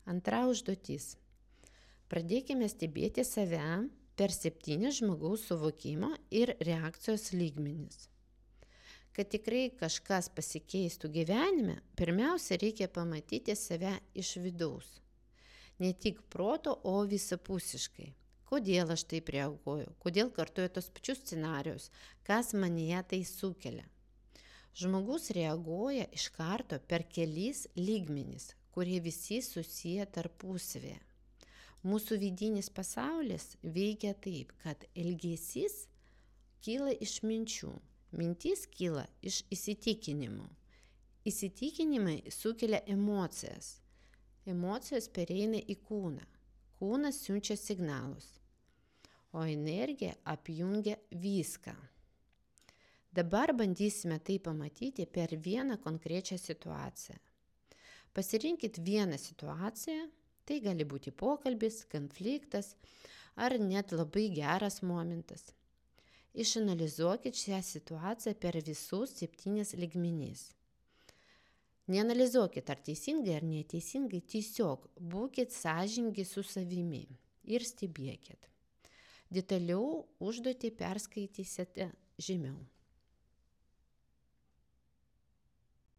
Antra užduotis. Pradėkime stebėti save per 7 žmogaus suvokimo ir reakcijos lygmenis. Kad tikrai kažkas pasikeistų gyvenime, pirmiausia reikia pamatyti save iš vidaus. Ne tik proto, o visapusiškai. Kodėl aš taip reaguoju, kodėl kartuoju tos pačius scenarius, kas manyje tai sukelia. Žmogus reaguoja iš karto per kelis lygmenis, kurie visi susiję tarpusavėje. Mūsų vidinis pasaulis veikia taip, kad elgesys kyla iš minčių, mintis kyla iš įsitikinimų. Įsitikinimai sukelia emocijas. Emocijos pereina į kūną. Kūnas siunčia signalus, o energija apjungia viską. Dabar bandysime tai pamatyti per vieną konkrečią situaciją. Pasirinkit vieną situaciją, tai gali būti pokalbis, konfliktas ar net labai geras momentas. Išanalizuokit šią situaciją per visus 7 lygmenis. Neanalizuokit ar teisingai ar neteisingai, tiesiog būkit sąžiningi su savimi ir stebėkit. Detaliau užduotį perskaitysite žemiau.